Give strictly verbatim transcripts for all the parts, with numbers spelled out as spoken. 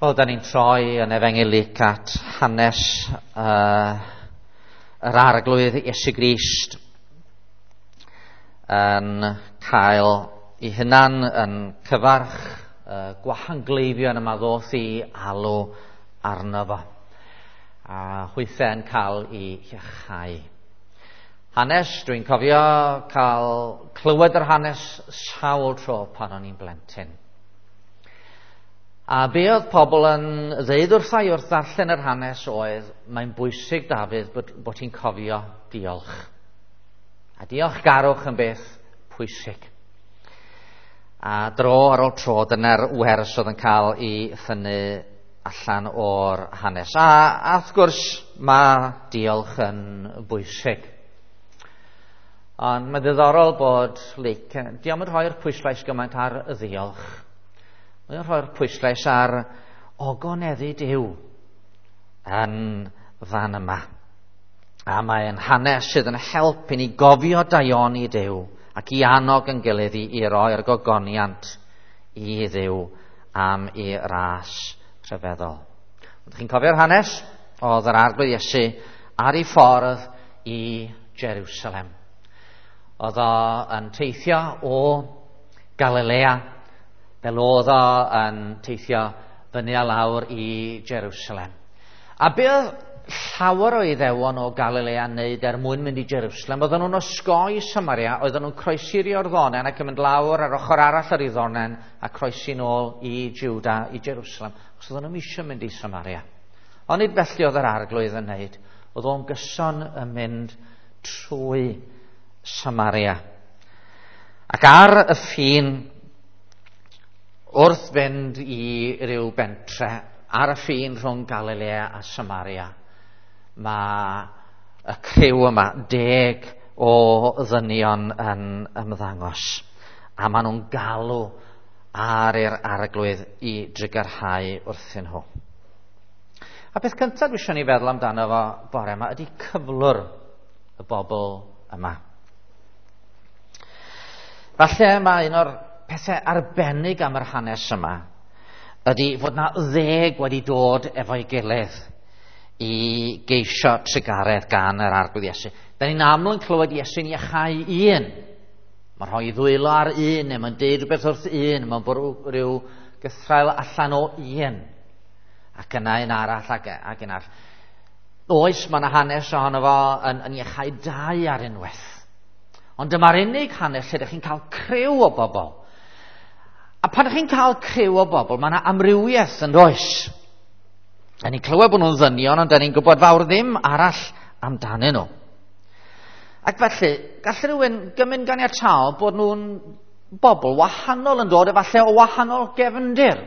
Wel, da ni'n troi yn Efengyl Luc at hanes uh, yr Arglwydd Iesu Grist yn cael ei hunan yn cyfarch uh, gwahangleifion yma ddoth i alw arno fo, a hwythau yn cael ei iachau. Hanes, dwi'n cofio cael clywed yr hanes sawl tro pan o'n i'n blentyn. A be oedd pobl yn ddeud wrtha i wrth ddarllen yr hanes oedd, mae'n bwysig, Dafydd, bod, bod ti'n cofio diolch. A diolchgarwch yn beth pwysig. A dro ar ôl tro, dyna'r wers oedd yn cael ei thynnu allan o'r hanes. A, a wrth gwrs, mae diolch yn bwysig. Ond mae'n ddiddorol bod Luc, diolch yn rhoi'r pwyslais gymaint ar y ddiolch. Mae'n rhoi'r pwyslais ar ogoneddu Duw yn fan yma. A mae'n hanes sydd yn help i ni gofio daioni Duw ac i annog yn gilydd i, i roi'r gogoniant i Dduw am ei ras rhyfeddol. Ydych chi'n cofio'r hanes? Oedd yr Arglwydd Iesu ar ei ffordd i Jerusalem. Oedd o yn teithio o Galilea, fel oedd o yn teithio fyny a lawr i Jerusalem. A be oedd llawer o Iddewon o Galilea yn neud er mwyn mynd i Jerusalem, oedden nhw'n osgoi Samaria, oedden nhw'n croesi'r Iorddonen ac yn mynd lawr ar ochr arall yr Iorddonen a croesi nôl i Juda, i Jerusalem, achos oedden nhw'n eisiau mynd i Samaria. Ond nid felly oedd yr Arglwydd yn neud. Oedd o'n gyson yn mynd trwy Samaria. Ac ar y ffin, wrth fynd i ryw bentre, ar y ffin rhwng Galilea a Samaria, mae y criw yma, deg o ddynion yn ymddangos. A maen nhw'n galw ar i'r Arglwydd i drugarhau wrthyn nhw. A beth cyntaf dwi eisiau ni feddwl amdano fo bore yma ydy cyflwr y bobl yma. Falle mae un o'r pethau arbennig am yr hanes yma ydy fod na ddeg wedi dod efo'i gilydd i geisio trugaredd gan yr Arglwydd Iesu. Da ni'n aml yn clywed Iesu'n iachau un. Mae'n rhoi ddwylo ar un, neu mae'n deud rhywbeth wrth un, mae'n bwrw rhyw gythraul allan o un. Ac yna un arall ac, ac un arall. Oes, mae yna hanes ohono fo yn, yn iachau dau ar unwaith. Ond dyma'r unig hanes lle ydych chi'n cael criw o bobl. A pan ydych chi'n cael criw o bobl, mae yna amrywiaeth yn does. Da ni'n clywed bod nhw'n ddynion, ond da ni'n gwybod fawr ddim arall amdanyn nhw. Ac felly, gall rhywun gymryd ganiataol bod nhw'n bobl wahanol yn dod, efallai o wahanol gefndir.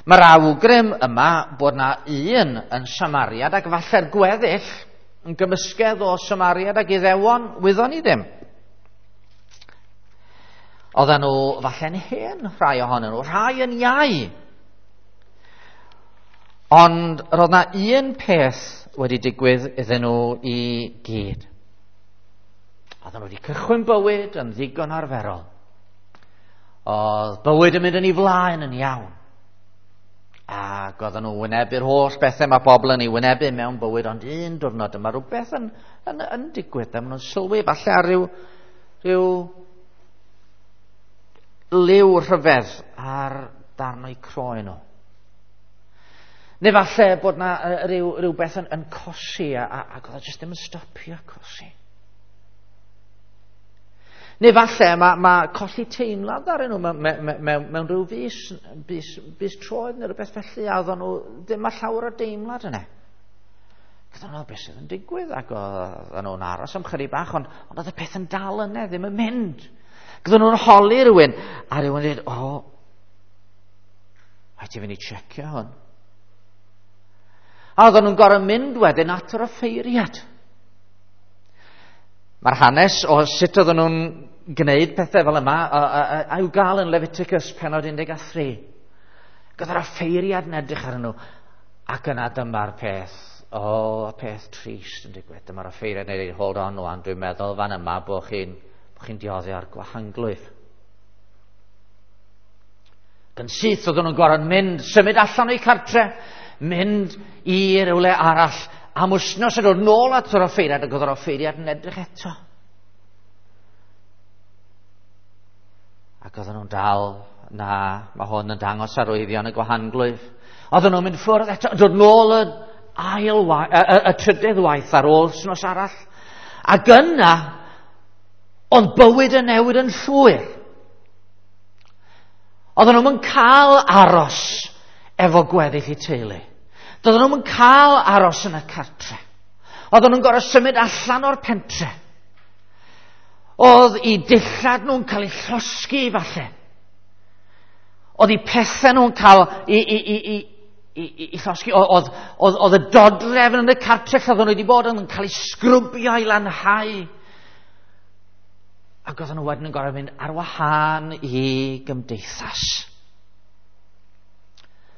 Mae'r awgrym yma bod na un yn Samariad ac falle'r gweddill yn gymysgedd o Samariad ac Iddewon, wyddon ni ddim. Oedden nhw falle'n hen rhai ohonyn nhw, rhai yn iau. Ond roedd na un peth wedi digwydd iddyn nhw i gyd. Oedden nhw wedi cychwyn bywyd yn ddigon arferol. Oedd bywyd yn mynd yn ei flaen yn iawn. Ac oedden nhw wynebu'r holl bethau mae bobl yn ei wynebu mewn bywyd, ond un diwrnod yma rhywbeth yn, yn, yn digwydd. A maen nhw'n sylwi falle ar ryw, ryw liw rhyfedd ar darn o'u croen nhw. Neu falle bod na rhyw, rhywbeth yn, yn cosi a, a, ac oedd o jyst ddim yn stopio cosi. Neu falle mae, mae colli teimlad ar nhw mewn, mewn, mewn, mewn rhyw fus, bys, bys troed neu rhywbeth felly, a oedden nhw ddim â llawer o deimlad yna. Gyda nhw beth sydd yn digwydd, ac oedden nhw'n aros am chydig bach, ond, ond oedd y peth yn dal yna, ddim yn mynd. Gyda nhw'n holi rhywun, a rhywun dweud, o, rhaid i fynd i checio hwn. A oedden nhw'n gorfod mynd wedyn at yr offeiriad. Mae'r hanes o sut oedden nhw'n gwneud pethau fel yma, a, a, a, a i'w gael yn Leviticus penod un deg tri. Gyda'r offeiriad yn edrych arnyn nhw, ac yna dyma'r peth, o, y peth trist yn digwydd. Dyma'r offeiriad yn dweud, hold on wan, dwi'n meddwl fan yma bod chi'n bo chi'n diodde ar gwahanglwyf. Ac yn syth oedden nhw'n gorfod mynd, symud allan o'i cartre, mynd i rywle arall am wythnos a dod nôl at yr offeiriad, ac oedd yr offeiriad yn edrych eto. Ac oedden nhw'n dal, na, mae hwn yn dangos arwyddion y gwahanglwyf. Oedden nhw'n mynd ffwrdd eto, dod nôl y ail waith, y, y, y trydydd waith ar ôl wythnos arall. Ac yna, oedd bywyd yn newid yn llwyr. Oedden nhw'n cael aros efo gweddill eu teulu. Doedden nhw'n cael aros yn y cartre. Oedden nhw'n gorfod symud allan o'r pentre. Oedd eu dillad nhw'n cael eu llosgi falle. Oedd eu pethau nhw'n cael i, i, i, i, i, i, i llosgi. Oedd, oedd, oedd y dodrefn yn y cartre lle oedden nhw wedi bod yn cael eu sgrwbio i lanhau. Ac oedden nhw wedyn yn gorfod mynd ar wahân i gymdeithas.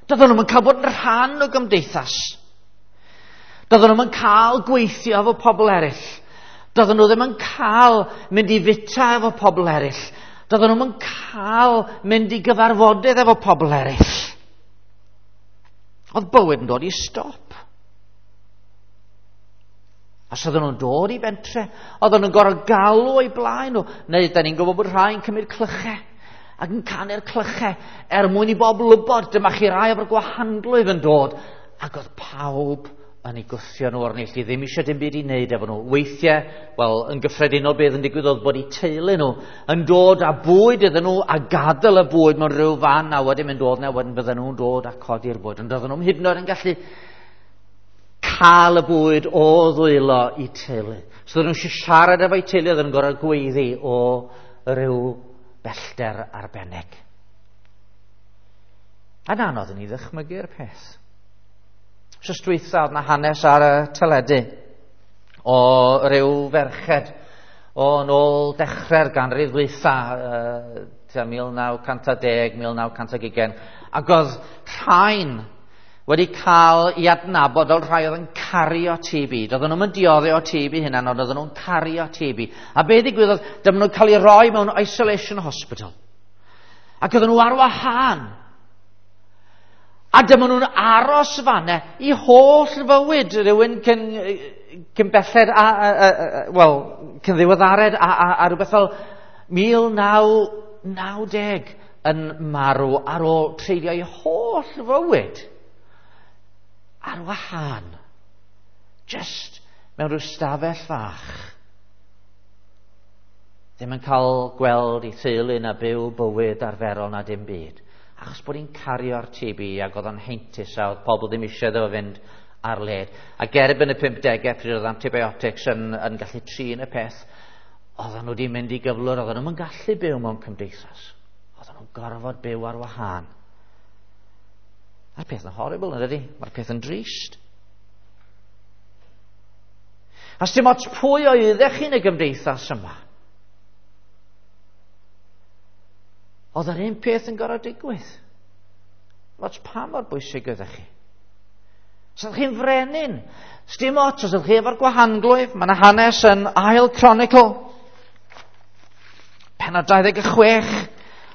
Doedden nhw'n cael bod yn rhan o gymdeithas. Doedden nhw'n cael gweithio efo pobl eraill. Doedden nhw ddim yn cael mynd i fita efo pobl eraill. Doedden nhw'n cael mynd i gyfarfodydd efo pobl eraill. Oedd bywyd yn dod i stop. A os oedden nhw'n dod i bentre, oedden nhw'n gorfod galw o'i blaen nhw. Neu, da ni'n gwybod bod rhai'n cymryd clychau ac yn canu'r clychau er mwyn i bobl wybod, dyma chi rai o'r gwahanglwyf yn dod. Ac oedd pawb yn ei gwthio nhw o'r neilltu, ddim eisiau dim byd i wneud efo nhw. Weithiau, wel, yn gyffredinol beth yn digwydd oedd bod eu teulu nhw yn dod â bwyd iddyn nhw a gadael y bwyd mewn rhyw fan a wedyn mynd dod na wedyn bydden nhw'n dod a codi'r bwyd. Ond oedden nhw'n hyd yn oed yn gallu cael y bwyd o ddwylo i teulu. So oedden nhw eisiau siarad efo'u teulu, oedden nhw'n gorfod gweiddi o ryw bellter arbennig. A'n anodd yn ei ddychmygu'r peth. Wsos dwytha oedd na hanes ar y teledu o ryw ferched o nôl dechrau'r ganrif ddwytha, uh, tua mil naw cant a deg, mil naw cant ag ugain, ac oedd rhain wedi cael i adnabod fel rhai oedd yn cario T B. Doedden nhw'n dioddef o T B hynna, ond oedden nhw'n cario T B. A be ddigwyddodd, dyma nhw'n cael eu rhoi mewn isolation hospital. Ac oedden nhw ar wahân. A dyma nhw'n aros fanna i holl fywyd rhywun cyn, cyn belled, a, a, a, a, wel, cyn ddiweddared a, a, a rhywbeth fel mil naw naw deg yn marw ar ôl treulio ei holl fywyd ar wahân, just mewn rhyw stafell fach. Ddim yn cael gweld ei theulu na byw bywyd arferol na dim byd. Achos bod hi'n cario'r T B ac oedd o'n heintus a oedd pobl ddim eisiau iddo fo fynd ar led. Ac erbyn y pump degau pryd oedd antibiotics yn, yn gallu trin y peth, oedden nhw wedi mynd i gyflwr, oedden nhw'n gallu byw mewn cymdeithas. Oedden nhw'n gorfod byw ar wahân. Mae'r peth yn horrible, yn dydi? Mae'r peth yn drist. A sdim ots pwy oeddech chi'n y gymdeithas yma. Oedd yr un peth yn gorfod digwydd. Ots pa mor bwysig oeddech chi. Os ydych chi'n frenin, sdim ots os ydych chi efo'r gwahanglwyf. Mae yna hanes yn Ail Chronicle, pennod dau ddeg chwech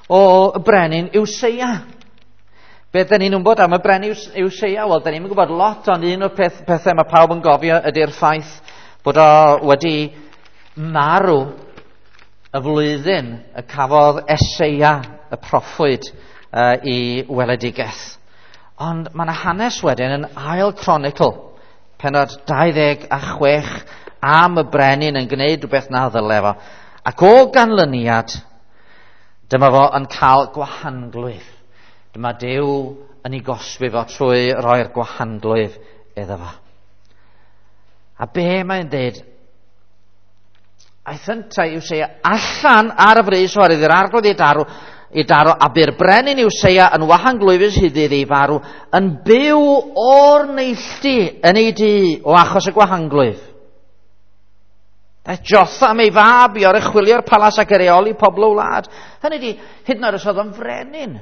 o brenin Iwseia. Beth da ni'n wybod am y brenin Iwseia? Wel, da ni'n gwybod lot, ond un o'r peth, pethau mae pawb yn gofio ydy'r ffaith bod o wedi marw y flwyddyn y cafodd Eseia y proffwyd uh, i weledigaeth. Ond mae yna hanes wedyn yn Ail Chronicle, pennod dau ddeg a chwech, am y brenin yn gwneud rhywbeth na ddyle fo. Ac o ganlyniad, dyma fo yn cael gwahanglwyf. Dyma Duw yn ei gosbi fo trwy roi'r gwahanglwyf iddo fo. A be mae'n dweud? Aeth yntau Iwseia allan ar y frys oherwydd i'r arglwydd ei daro, ei daro, a bu'r brenin Iwseia yn wahanglwyfus hyd iddi farw, yn byw o'r neilltu yn ei dŷ o achos y gwahanglwyf. Daeth Jotham ei fab i oruchwylio'r palas ac i reoli pobl o wlad. Hynny ydi, hyd yn oed os oedd o'n frenin,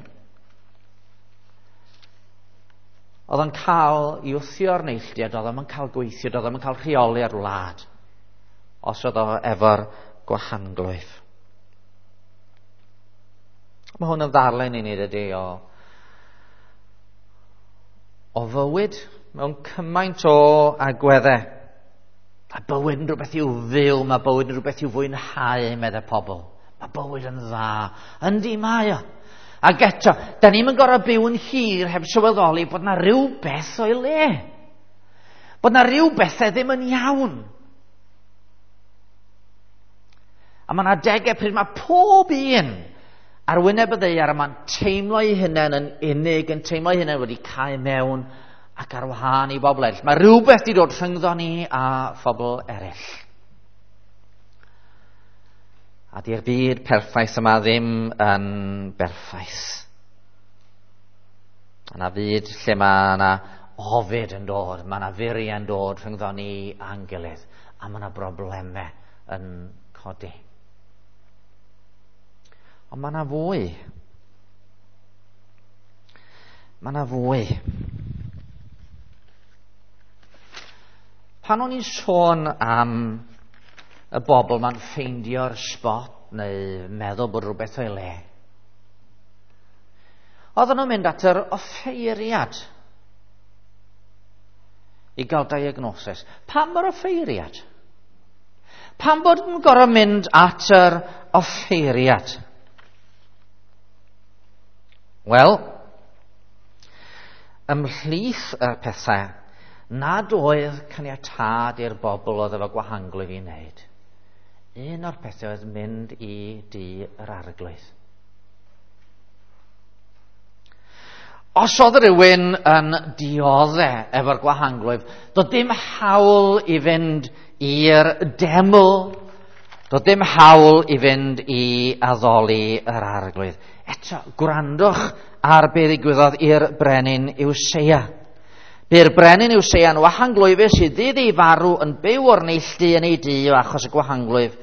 oedd o'n cael i wthio'r neilltu, a doedd o'm yn cael gweithio, doedd o'm yn cael rheoli ar wlad, os oedd o efo'r gwahanglwyf. Mae hwn yn ddarllen i ni, dydy, o o fywyd mewn cymaint o agweddau. Mae bywyd yn rhywbeth i'w fyw, mae bywyd yn rhywbeth i'w fwynhau, meddai pobl. Mae bywyd yn dda. Yndi mae o. Ac eto, da ni'm yn gorfod byw yn hir heb sylweddoli bod na rhywbeth o'i le. Bod na rhyw bethau ddim yn iawn. A mae yna adegau pryd mae pob un ar wyneb y ddaear yma'n teimlo ei hunain yn unig, yn teimlo ei hunain wedi cau mewn ac ar wahân i bobl eraill. Mae rhywbeth wedi dod rhyngddo ni a phobl eraill. A di'r byd perffaith yma ddim yn berffaith. Yna fyd lle mae yna ofid yn dod, mae yna furiau yn dod rhyngddo ni a'n gilydd, a mae yna broblemau yn codi. Ond mae yna fwy. Mae yna fwy. Pan o'n i'n sôn am y bobl ma'n ffeindio'r spot neu meddwl bod rhywbeth o'i le, oedden nhw'n mynd at yr offeiriad i gael diagnosis. Pam yr offeiriad? Pam bod yn gorfod mynd at yr offeiriad? Wel, ymhlith y pethau nad oedd caniatâd i'r bobl oedd efo gwahanglwyf i wneud, un o'r pethau oedd mynd i dŷ yr arglwydd. Os oedd rhywun yn diodde efo'r gwahanglwyf, doedd dim hawl i fynd i'r deml, doedd dim hawl i fynd i addoli yr arglwydd. Eto, gwrandwch ar be ddigwyddodd i'r brenin Iwseia. Bu'r brenin Iwseia yn wahanglwyfus i ddydd ei farw yn byw o'r neilltu yn ei dŷ o achos y gwahanglwyf,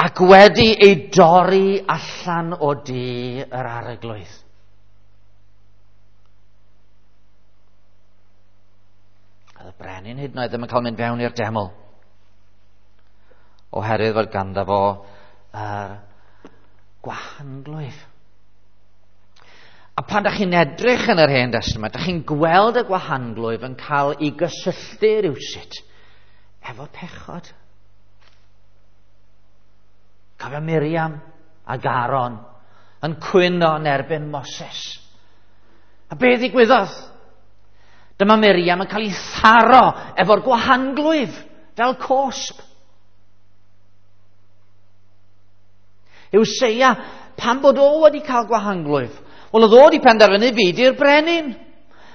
ac wedi ei dorri allan o dŷ yr arglwydd. Oedd y brenin hyd yn oed ddim yn cael mynd fewn i'r deml, oherwydd fod ganddo fo yr gwahanglwyf. A pan da chi'n edrych yn yr Hen Destament, da chi'n gweld y gwahanglwyf yn cael ei gysylltu rywsut efo pechod. Cofio Miriam ac Aaron yn cwyno yn erbyn Moses. A be ddigwyddodd? Dyma Miriam yn cael ei tharo efo'r gwahanglwyf fel cosb. Iwseia, pan bod o wedi cael gwahanglwyf, wel, oedd o wedi penderfynu fi di'r brenin.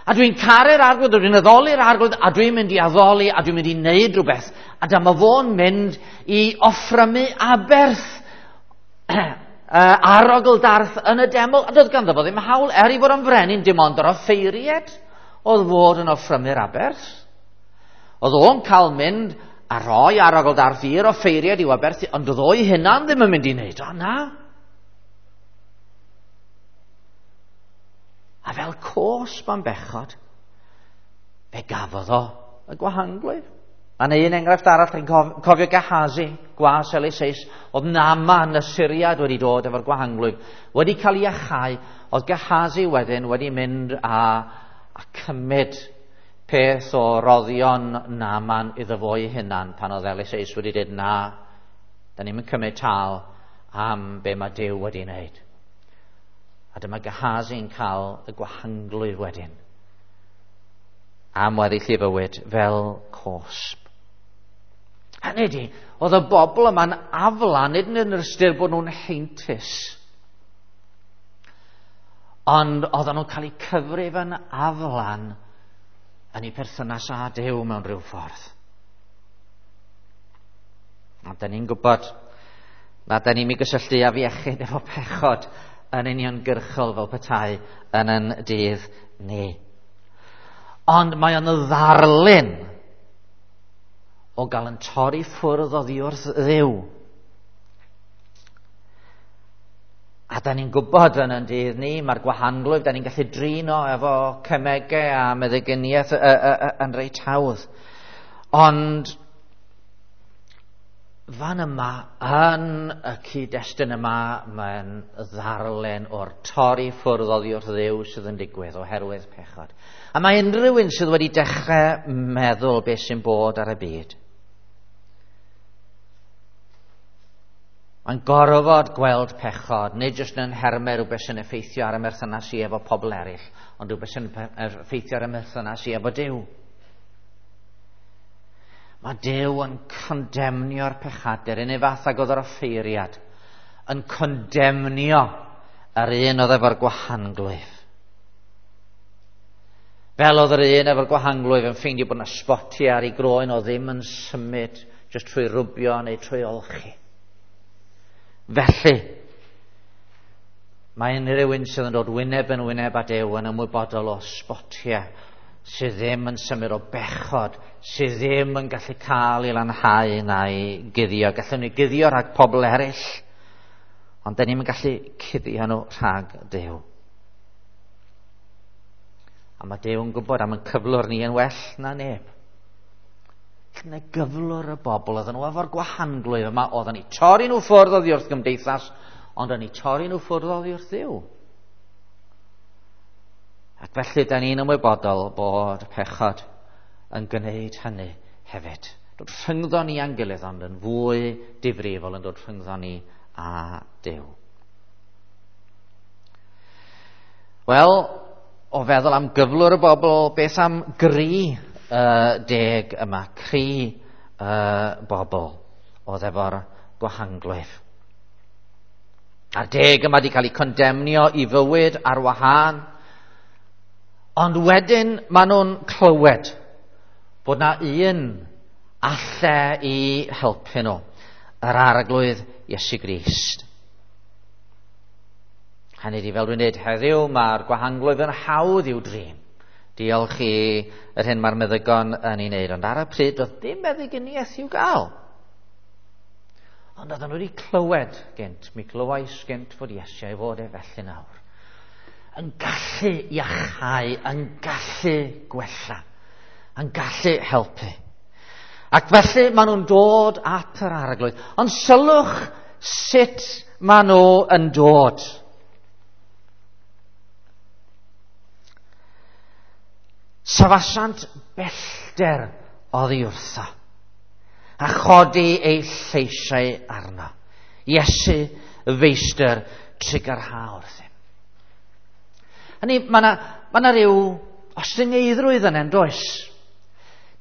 A dwi'n caru'r arglwydd, dwi'n addoli'r arglwydd, a dwi'n mynd i addoli, a dwi'n mynd i wneud rhywbeth. A dyma fo'n mynd i offrymu aberth arogl darth yn y deml. A doedd ganddo fo ddim hawl, er i fod yn frenin, dim ond yr offeiriad oedd fod yn offrymu'r aberth. Oedd o'n cael mynd a rhoi arogl darth i'r offeiriad i'w aberthu, ond oedd o'i hunan ddim yn mynd i wneud o, na. A fel cosb am bechod, fe gafodd o y gwahanglwyf. A neu un enghraifft arall, chi'n cofio Gehazi, gwas Eliseus, oedd Naaman y Syriad wedi dod efo'r gwahanglwyf, wedi cael ei achau, oedd Gehazi wedyn wedi mynd a, a cymryd peth o roddion Naaman iddo fo'i hunan pan oedd Eliseus wedi dweud na, da ni'n cymryd tal am be mae Duw wedi wneud. A dyma Gehazi'n cael y gwahanglwyf wedyn am weddill ei fywyd fel cosb. Hynny ydi, oedd y bobl yma'n aflan, nid yn yr ystyr bod nhw'n heintus, ond oedden nhw'n cael eu cyfrif yn aflan yn eu perthynas â Duw mewn rhyw ffordd. A da ni'n gwybod na da ni'n mynd gysylltu â iechyd efo pechod yn uniongyrchol fel petai yn yn dydd ni. Ond mae o'n ddarlun o gael yn torri ffwrdd oddi wrth Dduw. A da ni'n gwybod yn yn dydd ni, mae'r gwahanglwyf, da ni'n gallu drin o efo cemegau a meddyginiaeth yn reit hawdd. Ond Fan yma, yn y cyd-destun yma, mae'n ddarllen o'r torri ffwrdd oddi wrth Dduw sydd yn digwydd oherwydd pechod. A mae unrhyw un sydd wedi dechrau meddwl beth sy'n bod ar y byd, mae'n gorfod gweld pechod, nid jyst yn nhermau rhywbeth sy'n effeithio ar y merthynas i efo pobl eraill, ond rhywbeth sy'n effeithio ar y merthynas i efo Duw. Mae Duw yn condemnio'r pechadur, un ei fath ag oedd yr offeiriad, yn condemnio yr un oedd efo'r gwahanglwyf. Fel oedd yr un efo'r gwahanglwyf yn ffeindio bod yna sbotiau ar ei groen o ddim yn symud, jyst trwy rwbio neu trwy olchi. Felly, mae unrhyw un sydd yn dod wyneb yn wyneb â Duw yn ymwybodol o sbotiau sydd ddim yn symud, o bechod sydd ddim yn gallu cael ei lanhau na'i guddio. Gallwn ni guddio rhag pobl eraill, ond dyn ni'm yn gallu cuddio nhw rhag Duw. A mae Duw yn gwybod am ein cyflwr ni yn well na neb. Neu gyflwr y bobl oedden nhw efo'r gwahanglwyf yma, oedden ni torri nhw ffwrdd oddi wrth gymdeithas, ond oedden ni torri nhw ffwrdd oddi wrth Dduw. Ac felly, da ni'n ymwybodol bod pechod yn gwneud hynny hefyd. Dod rhyngddo ni a'n gilydd, ond yn fwy difrifol yn dod rhyngddo ni a Duw. Wel, o feddwl am gyflwr y bobl, beth am gri uh, deg yma, cri uh, bobl oedd efo'r gwahanglwyf. A'r deg yma wedi cael eu condemnio i fywyd ar wahân, ond wedyn maen nhw'n clywed bod na un alle i helpu nhw, yr Arglwydd Iesu Grist. Hynny ydi, fel dwi'n dweud heddiw, mae'r gwahanglwyf yn hawdd i'w drin. Diolch i yr hyn mae'r meddygon yn ei wneud, ond ar y pryd doedd dim meddyginiaeth i'w gael. Ond oedden nhw wedi clywed gynt, mi glywais gynt fod Iesu a'i fod e felly nawr, yn gallu iachau, yn gallu gwella, yn gallu helpu. Ac felly maen nhw'n dod at yr Arglwydd. Ond sylwch sut maen nhw yn dod. Safasant bellter oddi wrtho, a chodi eu lleisiau arno. Iesu, feistr, trugarha wrthym. Hynny, mae yna ma na ryw ostyngeiddrwydd yna, yn does?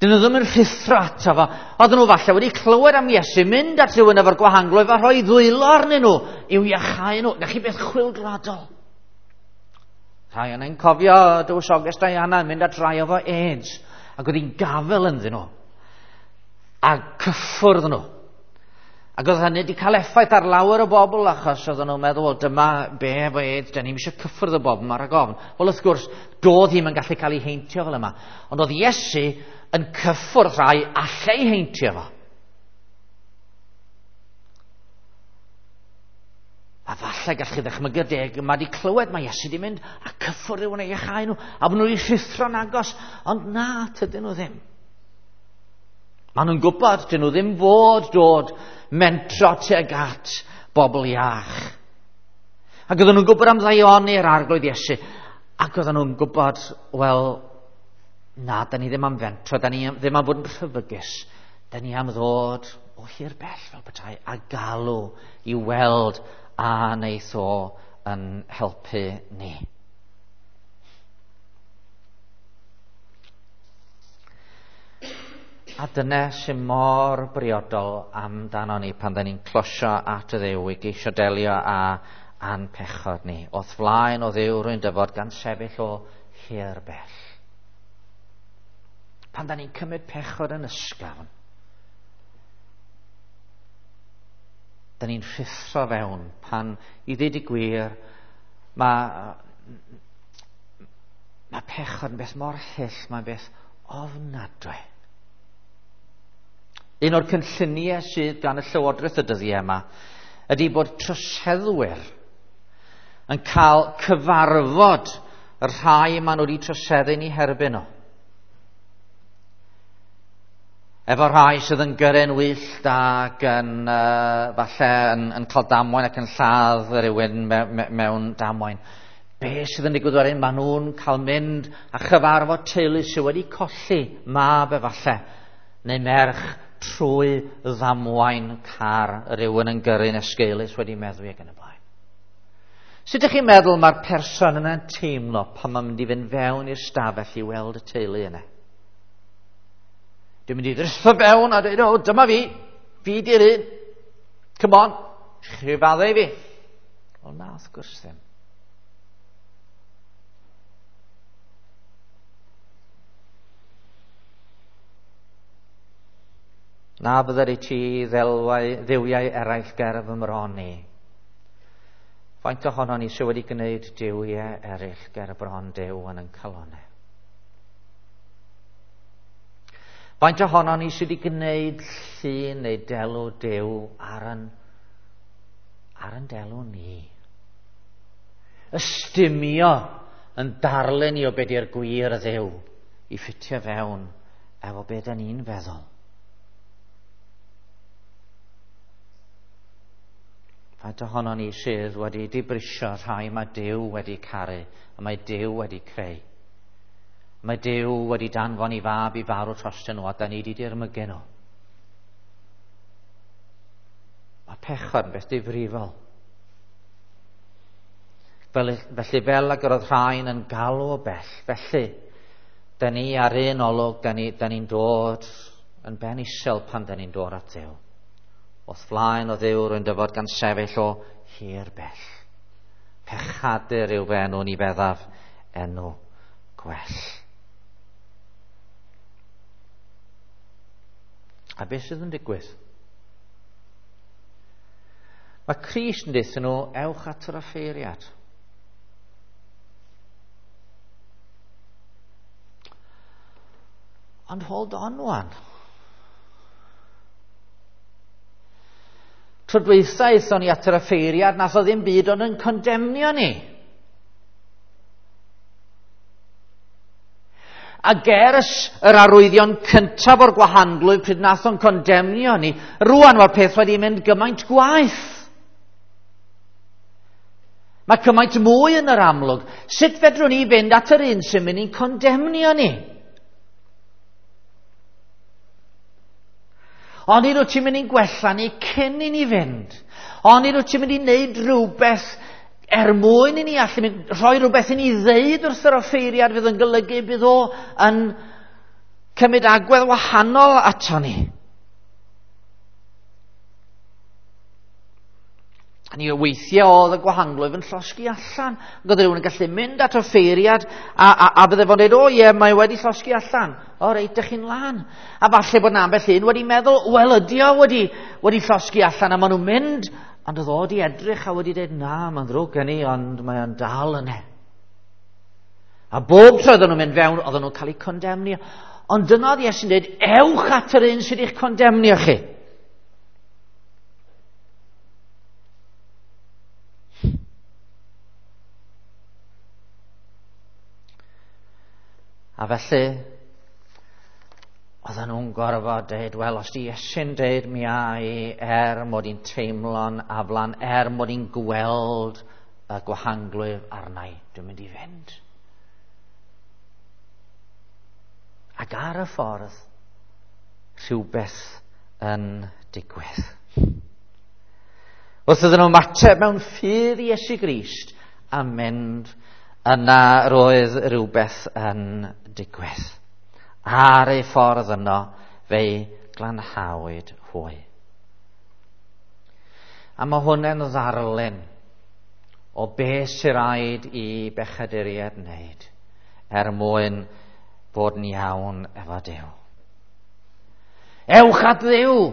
Dyn nhw ddim yn rhuthro ato fo. Oedden nhw falle wedi clywed am Iesu mynd at rhywun efo'r gwahanglwyf a rhoi ddwylo arnyn nhw i'w iachau nhw. Na chi beth chwyldroadol. Rhai yna'n cofio dywysoges Diana yn mynd at rai efo AIDS, ac oedd hi'n gafel ynddyn nhw a cyffwrdd nhw. Ac oedd hynny wedi cael effaith ar lawer o bobl, achos oedden nhw'n meddwl, wel, dyma be efo AIDS, da ni'm eisiau cyffwrdd y bobl yma rhag ofn. Wel, wrth gwrs, doedd hi'm yn gallu cael ei heintio fel yma. Ond oedd Iesu yn cyffwrdd rhai allai heintio fo. A falle gallwch chi ddychmygu'r deg yma wedi clywed mae Iesu wedi mynd a cyffwrdd rhywun ei iachau nhw, a bod nhw wedi rhuthro'n agos, ond na, tydyn nhw ddim. Maen nhw'n gwybod, dyn nhw ddim fod dod mentro tuag at bobl iach. Ac oedden nhw'n gwybod am ddaioni'r Arglwydd Iesu, ac oedden nhw'n gwybod, wel, na, da ni ddim am fentro, da ni ddim am fod yn rhyfygus, da ni am ddod o hir bell fel petai, a galw i weld a wneith o yn helpu ni. A dyna sy'n mor briodol amdano ni pan da ni'n closio at y Dduw i geisio delio â a'n pechod ni. O'th flaen o Dduw rwy'n dyfod gan sefyll o hir bell. Pan da ni'n cymryd pechod yn ysgafn, da ni'n rhuthro fewn pan, i ddweud y gwir, mae, mae pechod yn beth mor hyll, mae'n beth ofnadwy. Un o'r cynlluniau sydd gan y Llywodraeth y dyddiau yma ydy bod troseddwyr yn cael cyfarfod y rhai maen nhw wedi troseddu yn eu herbyn nhw. Efo rhai sydd yn gyrru'n wyllt ac yn, uh, falle yn, yn cael damwain ac yn lladd rhywun me, me, mewn damwain. Be sydd yn digwydd wedyn? Maen nhw'n cael mynd a chyfarfod teulu sydd wedi colli mab efallai neu merch trwy ddamwain car rhywun yn gyrru'n esgeulus wedi meddwi ac yn y blaen. Sut ydych chi'n meddwl mae'r person yna'n teimlo pan mae'n mynd i fynd fewn i'r stafell i weld y teulu yna? Dwi'n mynd i ddrytho fewn a dweud, o, dyma fi, fi di'r un. Come on, chi faddau i fi. Wel na, wrth gwrs ddim. Na bydder i ti ddelwau, dduwiau eraill ger fy mron i. Faint ohonon ni sydd wedi gwneud duwiau eraill ger bron Duw yn ein calonnau? Faint ohonon ni sydd wedi gwneud llun neu delw Duw ar yn, ar yn delw ni? Ystumio yn darlun i o be di'r gwir Dduw i ffitio fewn efo be da ni'n feddwl. Faint ohonon ni sydd wedi dibrisio rhai mae Duw wedi caru a mae Duw wedi creu. Mae Duw wedi danfon i fab i farw trostyn nhw a da ni wedi dirmygu nhw. Mae pechod yn beth difrifol. Fel, felly fel ag yr oedd rhain yn galw o bell, felly da ni ar un olwg, da ni'n ni dod yn ben isel pan da ni'n dod at Dduw. Wrth flaen o Dduw rwy'n dyfod gan sefyll o hir bell. Pechadur yw fy enw, ni feddaf enw gwell. A beth sydd yn digwydd? Mae Crist yn deutha nhw, ewch at yr offeiriad. Ond hold on wan. Tro dwytha aethon ni at yr offeiriad, nath o ddim byd ond yn condemnio ni. A ger yr arwyddion cyntaf o'r gwahanglwyf pryd nath o'n condemnio ni, rwan mae'r peth wedi mynd gymaint gwaeth. Mae cymaint mwy yn yr amlwg. Sut fedrwn ni fynd at yr un sy'n mynd i'n condemnio ni? Ond nid wyt ti'n mynd i'n gwella ni cyn i ni fynd. Ond nid wyt ti'n mynd i wneud rhywbeth er mwyn i ni allu mynd, rhoi rhywbeth i ni ddeud wrth yr offeiriad fydd yn golygu bydd o yn cymryd agwedd wahanol ato ni. A ni weithiau oedd y gwahanglwyf yn llosgi allan. Ac oedd rhywun yn gallu mynd at offeiriad a, a, a bydde fo'n dweud, o ie, mae wedi llosgi allan. O reit, dych chi'n lan. A falle bod 'na ambell un wedi meddwl, wel ydi o wedi, wedi llosgi allan, a maen nhw'n mynd. Ond oedd o wedi edrych a wedi dweud, na, mae'n ddrwg gen i, ond mae o'n dal yna. A bob tro oedden nhw'n mynd fewn, oedden nhw'n cael eu condemnio. Ond dyna oedd Iesu'n dweud, ewch at yr un sydd eich condemnio chi. A felly, oedden nhw'n gorfod dweud, wel, os di Iesu'n dweud mi a i, er mod i'n teimlo'n aflan, er mod i'n gweld y gwahanglwyf arna i, dwi'n mynd i fynd. Ac ar y ffordd, rhywbeth yn digwydd. Wrth iddyn nhw ymateb mewn ffydd i Iesu Grist a mynd, yna roedd rhywbeth yn digwydd. Ar ei ffordd yno, fe'i glanhawyd hwy. A mae hwnna'n ddarlun o beth sy'n rhaid i bechaduriaid wneud er mwyn bod yn iawn efo Duw. Ewch at Dduw!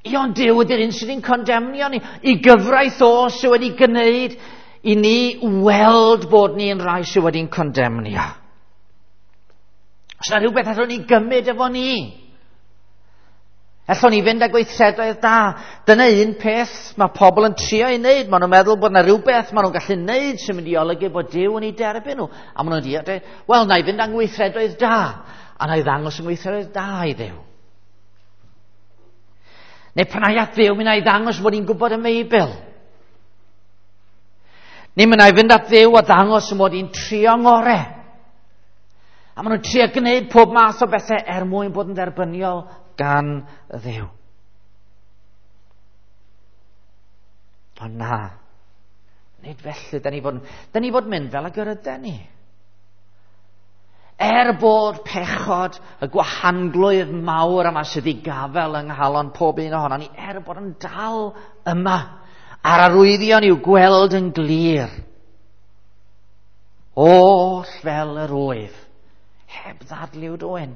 Ion Duw ydy'r un sydd yn condemnio ni. I gyfraith o sydd wedi gwneud i ni weld bod ni'n rhai sydd wedi'n condemnio. Os yna rhywbeth allwn ni gymryd efo ni. Allwn ni fynd â gweithredoedd da. Dyna un peth mae pobl yn trio ei wneud. Maen nhw'n meddwl bod yna rhywbeth maen nhw'n gallu wneud sy'n mynd i olygu bod Duw yn ei derbyn nhw. A maen nhw'n dweud, wel, na i fynd â gweithredoedd da. A na i ddangos yng ngweithredoedd da i Dduw. Neu pan ai at Dduw, mi wna i ddangos bod i'n gwybod y Beibl. Neu mi wna i fynd at Dduw a ddangos mod i'n trio ngore. A maen nhw'n trio gwneud pob math o bethau er mwyn bod yn dderbyniol gan y Dduw. Ond na, nid felly, da ni fod, da ni fod mynd fel ag yr yden ni. Er bod pechod y gwahanglwydd mawr yma sydd i gafel yng nghalon pob un ohonon ni, er bod yn dal yma, a'r arwyddion i'w gweld yn glir. Oll fel yr wyf, heb ddadliw dwyn.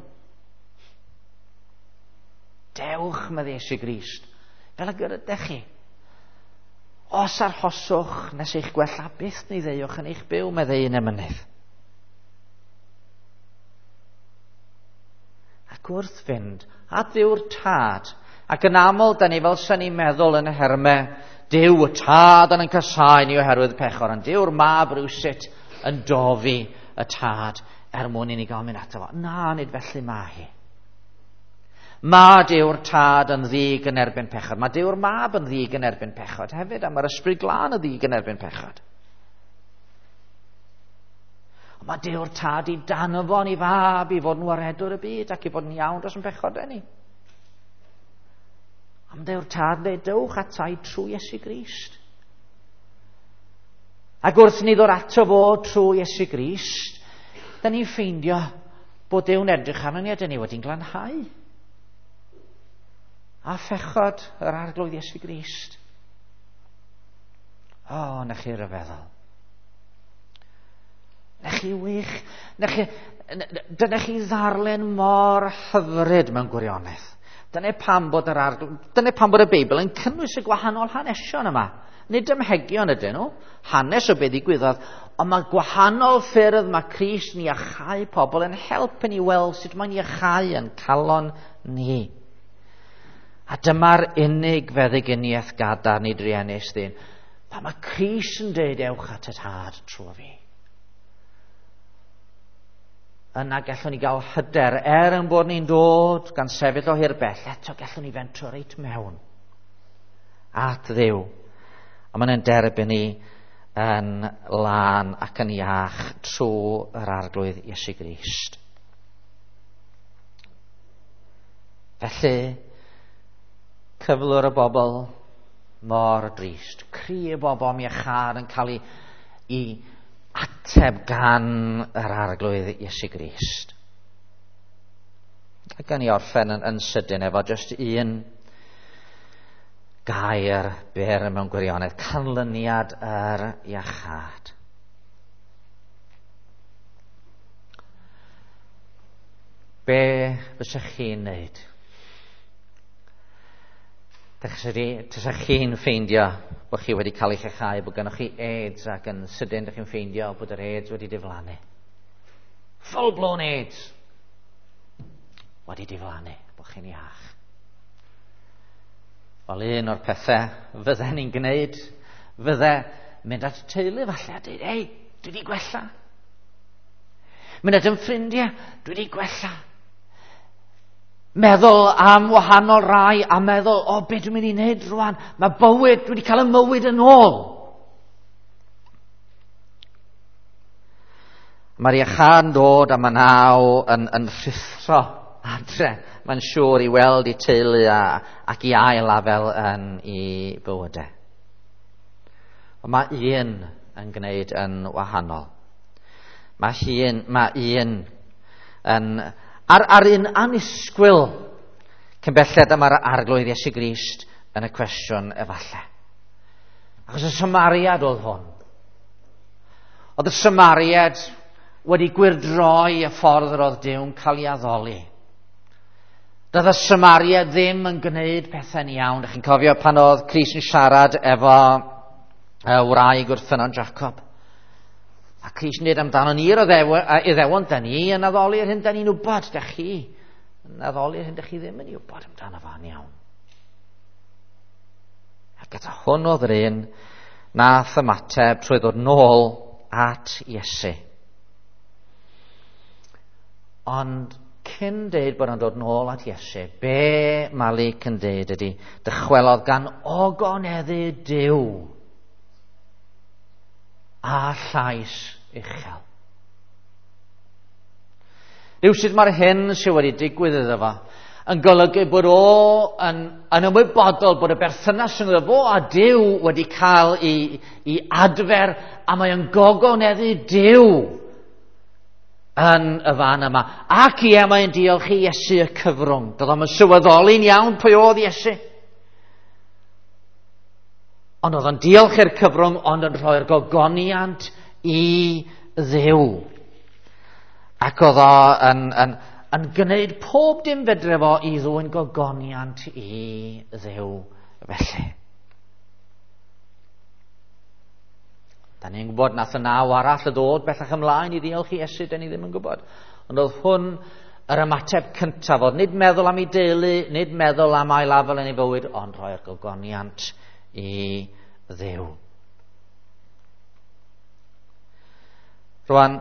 Dewch, medde Iesu Grist, fel ag yr ydych chi. Os arhoswch nes eich gwella, byth ni ddeuwch yn eich byw, medde un emynydd. Ac wrth fynd at Dduw'r Tad, ac yn aml, da ni fel sy'n ni'n meddwl yn y hermau, Duw y Tad yn yn casáu ni oherwydd pechod, ond Duw'r Mab rywsut yn dofi y Tad er mwyn i ni gael mynd ato fo. Na, nid felly mae hi. Mae Duw'r Tad yn ddig yn erbyn pechod. Mae Duw'r Mab yn ddig yn erbyn pechod hefyd, a mae'r Ysbryd Glân yn ddig yn erbyn pechod. Ond mae Duw'r Tad i danfon i Fab i fod yn waredwr y byd ac i fod yn iawn dros yn pechodau ni. Am Duw'r Tad yn dweud, dewch atai trwy Iesu Grist. Ac wrth ni ddod ato fo trwy Iesu Grist, da ni'n ffeindio bod Duw'n edrych arno ni a da ni wedi'n glanhau. A phechod yr Arglwydd Iesu Grist. O, oh, na chi ryfeddol. Na chi wych. Na chi, dyna chi ddarllen mor hyfryd mewn gwirionedd. Dyna pam bod yr arglwydd, dyna pam bod y Beibl yn cynnwys y gwahanol hanesion yma. Nid ymhegion ydyn nhw, hanes o beth ddigwyddodd, ond mae gwahanol ffyrdd mae Crist yn iachau pobl yn helpu ni weld sut mae'n iachau yn calon ni. A dyma'r unig feddyginiaeth gadarn i druenus ddyn. Pan mae Crist yn dweud ewch at y Tad trwy fi. Yna gallwn ni gael hyder, er yn bod ni'n dod gan sefyll o hir bell, eto gallwn ni fentro reit mewn at Dduw. A mae'n derbyn ni yn lân ac yn iach trwy yr Arglwydd Iesu Grist. Felly, cyflwr y bobl mor drist. Cri y bobl am iachâd yn cael ei, ei ateb gan yr Arglwydd Iesu Grist. A gan i orffen yn, yn sydyn efo jyst un gair byr mewn gwirionedd, canlyniad yr iachâd. Be fysech chi'n neud? Tysach chi'n ffeindio bod chi wedi cael eich iachau, bod gennych chi AIDS ac yn sydyn dych chi'n ffeindio bod yr AIDS wedi diflannu. Full blown AIDS wedi diflannu, bod chi'n iach. Wel, un o'r pethau fydden ni'n gwneud fydde mynd at y teulu falle a dweud, ei, dwi wedi gwella. Mynd at yn ffrindiau, dwi wedi gwella. Meddwl am wahanol rai a meddwl, o, be dwi'n mynd i wneud rwan? Mae bywyd, dwi wedi cael y mywyd yn ôl. Mae'r iachâd yn dod a mae naw yn, yn rhuthro adre. Mae'n siŵr i weld i teulu a, ac i ail afel yn ei bywydau. Ond mae un yn gwneud yn wahanol. Mae un, mae un yn... Ar, ar un annisgwyl, cyn belled yma'r Arglwydd Iesu Grist yn y cwestiwn efallai. Achos y Samariad oedd hwn. Oedd y Samariad wedi gwyrdroi y ffordd yr oedd Duw'n cael ei addoli. Doedd y Samariad ddim yn gwneud pethau'n iawn. Dych chi'n cofio pan oedd Crist yn siarad efo y wraig wrth ffynnon Jacob. A Crist yn dweud amdano ni'r Iddewon, da ni yn addoli'r hyn da ni'n wybod, da chi yn addoli'r hyn da chi ddim yn ei wybod amdano fo'n iawn. Ac eto hwn oedd yr un nath ymateb trwy ddod nôl at Iesu. Ond cyn deud bod o'n dod nôl at Iesu, be mae Luc yn deud ydy, dychwelodd gan ogoneddu Duw a llais uchel. Rhywsut mae'r hyn sydd wedi digwydd iddo fo yn golygu bod o yn, yn ymwybodol bod y berthynas rhwng fo a Duw wedi cael ei, ei adfer, a mae o'n gogoneddu Duw yn y fan yma. Ac ie, mae'n diolch i Iesu y cyfrwng. Doedd o'm yn sylweddoli'n iawn pwy oedd Iesu. Ond oedd o'n diolch i'r cyfrwng, ond yn rhoi'r gogoniant i Dduw. Ac oedd o yn, yn, yn gwneud pob dim fedre fo i ddwyn gogoniant i Dduw felly. Da ni'n gwybod nath y naw arall y ddod bellach ymlaen i ddiolch i Iesu, da ni ddim yn gwybod. Ond oedd hwn yr ymateb cyntaf, oedd nid meddwl am ei deulu, nid meddwl am ail afel yn ei fywyd, ond rhoi'r gogoniant i Dduw. Rwan,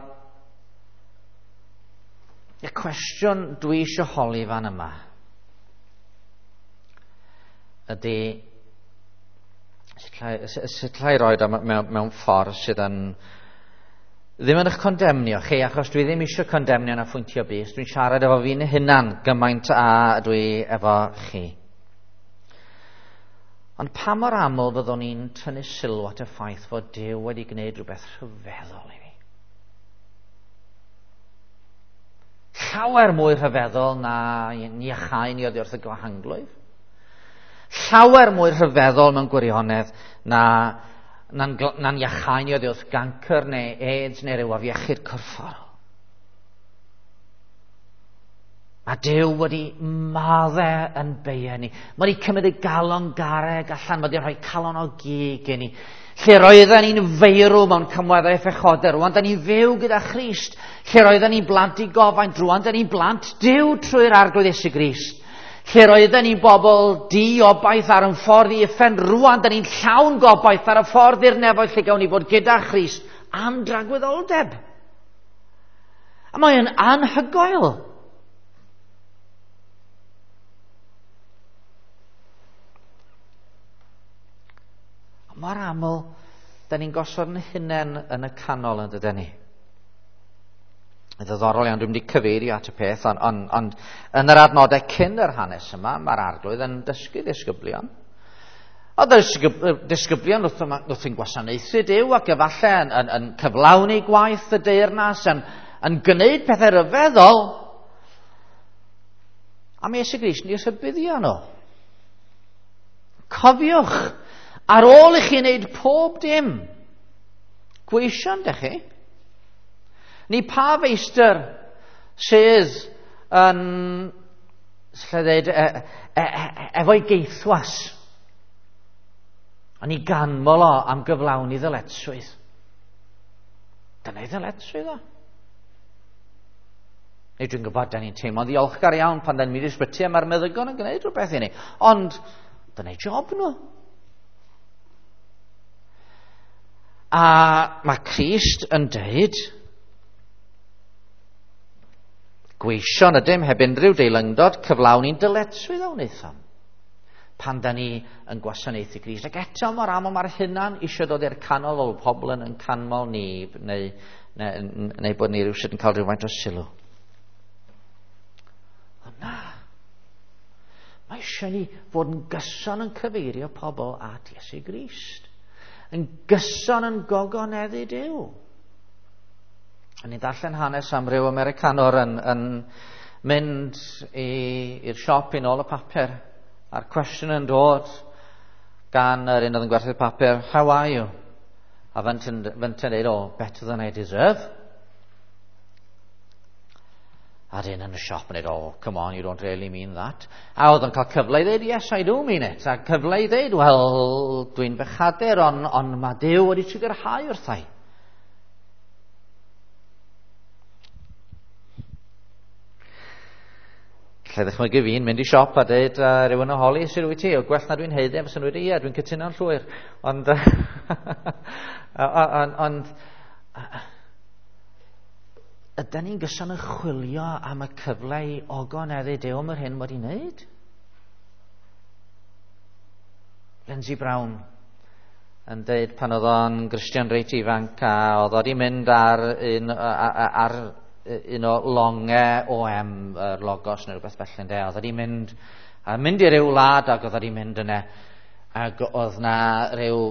y cwestiwn dwi eisiau holi fan yma ydy, sut llai roed o mewn, mewn ffordd sydd yn ddim yn eich condemnio chi, achos dwi ddim eisiau condemnio na phwyntio bys. Dwi'n siarad efo fi'n hunan gymaint a dwi efo chi. Ond pa mor aml fyddwn ni'n tynnu sylw at y ffaith fod Duw wedi gwneud rhywbeth rhyfeddol i fi? Llawer mwy rhyfeddol na iachau ni oddi wrth y gwahanglwyf. Llawer mwy rhyfeddol mewn gwirionedd na na'n, na'n iachau ni oddi wrth gancr neu AIDS neu ryw afiechyd corfforol. Mae Duw wedi maddau yn beia ni. Mae wedi cymryd y galon garreg allan, mae wedi rhoi calon o gig i ni. Lle roedden ni'n feirw mewn cymweddau phechodau, rwan da ni'n fyw gyda Christ. Lle roedden ni'n blant i gofaint, rwan da ni'n blant Duw trwy'r Arglwydd Iesu Grist. Lle roedden ni'n bobl diobaith ar yn ffordd i uffern, rwan da ni'n llawn gobaith ar y ffordd i'r nefoedd lle gawn ni fod gyda Christ am dragwyddoldeb. A mae'n anhygoel. Mor aml, da ni'n gosod yn hunain yn y canol yn dydyn ni. Yn ddiddorol iawn, dwi'n mynd i cyfeirio at y peth, ond on, on, yn yr adnodau cyn yr hanes yma, mae'r Arglwydd yn dysgu disgyblion. Oedd y disgyblion wrth, wrth yn gwasanaethu Duw ac efallai yn, yn, yn cyflawni gwaith y deyrnas, yn, yn gwneud pethau rhyfeddol. A mae Iesu Grist yn eu rhybuddio nhw. Cofiwch, ar ôl i chi wneud pob dim, gweision dych chi. Ni pa feistr sydd yn, lle dweud, e, e, e, efo'i geithwas, yn ei ganmol o am gyflawni ddyletswydd. Dyna'i ddyletswydd o. Neu dwi'n gwybod, da ni'n teimlo'n ddiolchgar iawn pan da ni'n mynd i'r ysbyty a mae'r meddygon yn gwneud rhywbeth i ni. Ond dyna'i job nhw. A mae Crist yn deud, gweision ydym heb unrhyw deilyngdod, cyflawni'n dyletswydd a wnaethom pan da ni yn gwasanaethu Crist. Ac eto mor aml mae'r hunan eisiau dod i'r canol fel pobl yn canmol ni, neu, neu, neu bod ni rhywsut yn cael rhywfaint o sylw. Ond na, mae eisiau ni fod yn gyson yn cyfeirio pobl at Iesu Grist. Yn gyson yn gogoneddu Duw. A ni'n darllen hanes am ryw Americanwr yn, yn mynd i'r siop i nôl y papur, a'r cwestiwn yn dod gan yr un oedd yn gwerthu'r papur, "How are you?" A fynt yn dweud, "Oh, better than I deserve." A dyn yn y siop yn dweud, "Oh, come on, you don't really mean that." A oedd yn cael cyfle i ddweud, "Yes, I do mean it." A cyfle i ddweud, "Wel, dwi'n bechadur, ond on mae Duw wedi trugarhau wrthai." Lle ddechmygu fi'n mynd i siop a dweud, uh, rhywun o holi, "Sut wyt ti?" "O, gwell na dwi'n haeddu," fysen nhw wedi, "Ie, dwi'n cytuno'n llwyr." Ond, ond, ond Ydy ni'n gyson yn chwilio am y cyfle i ogoneddu Duw am yr hyn wedi wneud? Lindsay Brown yn deud pan oedd o'n Gristion reit ifanc a oedd o wedi mynd ar un, ar un o longau O M, yr Logos neu rhywbeth felly, ynde. Oedd wedi mynd, a mynd i ryw wlad ac oedd wedi mynd yna, ac oedd na ryw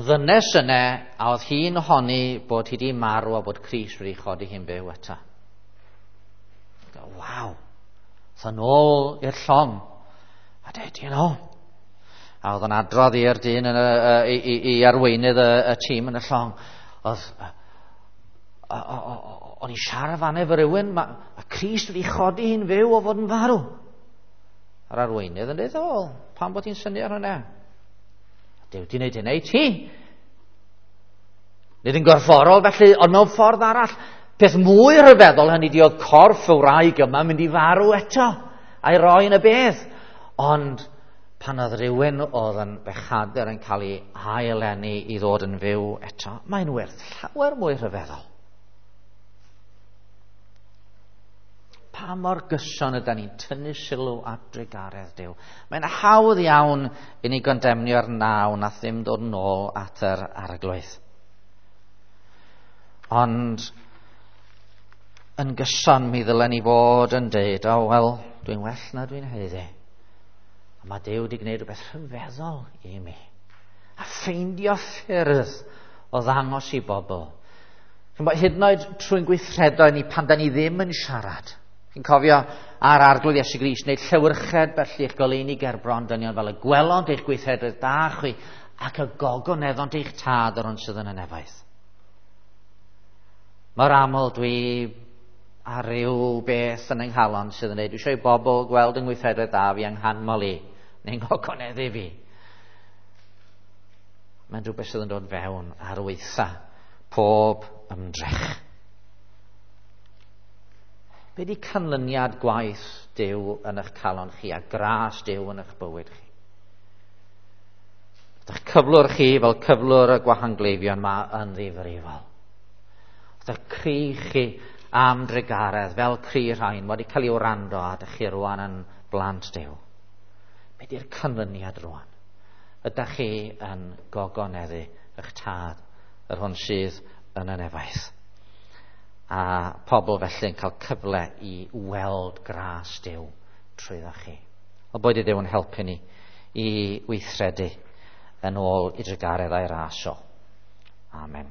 ddynes yna a oedd hi'n honni bod hi wedi marw a bod Crist wedi chodi hi'n byw eto. Waw! Oedd yn ôl i'r llong. A dweud, you know, a oedd yn adrodd i'r dyn yn y, i, i, i arweinydd y, y tîm yn y llong. Oedd, o'n i siarad fan efo rhywun, ma, a Crist wedi chodi hi'n fyw o fod yn farw. A'r arweinydd yn dweud, o, pam bod hi'n synnu ar hwnna? Duw di wneud hynna i ti. Nid yn gorfforol felly, ond mewn ffordd arall. Peth mwy rhyfeddol hynny di oedd corff y wraig yma mynd i farw eto, a'i roi yn y bedd. Ond pan oedd rhywun oedd yn bechadur yn cael ei haileni i ddod yn fyw eto, mae'n werth llawer mwy rhyfeddol. Pa mor gyson ydy ni'n tynnu sylw at drugaredd Duw. Mae'n hawdd iawn i ni gondemnio'r naw nath ddim dod yn ôl at yr arglwydd. Ond yn gyson mi ddylen ni fod yn deud, o oh, wel, dwi'n well na dwi'n haeddu. A mae Duw wedi gwneud rhywbeth rhyfeddol i mi. A ffeindio ffyrdd o ddangos i bobl. Hyd yn oed trwy'n gweithredoedd ni pan da ni ddim yn siarad. Chi'n cofio ar arglwydd Iesu Grist, wneud llewyrched felly eich goleuni gerbron dynion fel y gwelont eich gweithredoedd da chwi ac y gogoneddont eich tad yr hwn sydd yn y nefoedd. Mor aml dwi ar ryw beth yn yng nghalon sydd yn dweud, dwi eisiau i bobl gweld yng ngweithredoedd da fi yng nghanmol i, neu'n gogoneddu fi. Mae'n rhywbeth sydd yn dod fewn ar weitha pob ymdrech. Be di canlyniad gwaith Duw yn eich calon chi a gras Duw yn eich bywyd chi? Ydych cyflwr chi fel cyflwr y gwahangleifion ma yn ddifrifol. Ydych cri chi am drugaredd fel cri rhain wedi cael ei wrando a ydych chi rwan yn blant Duw. Be di'r canlyniad rwan? Ydych chi yn gogoneddu eich tad, yr hwn sydd yn y nefoedd? A pobl felly yn cael cyfle i weld gras Duw trwyddo chi. O boed i Dduw yn helpu ni i weithredu yn ôl i drugaredd a'i ras o. Amen.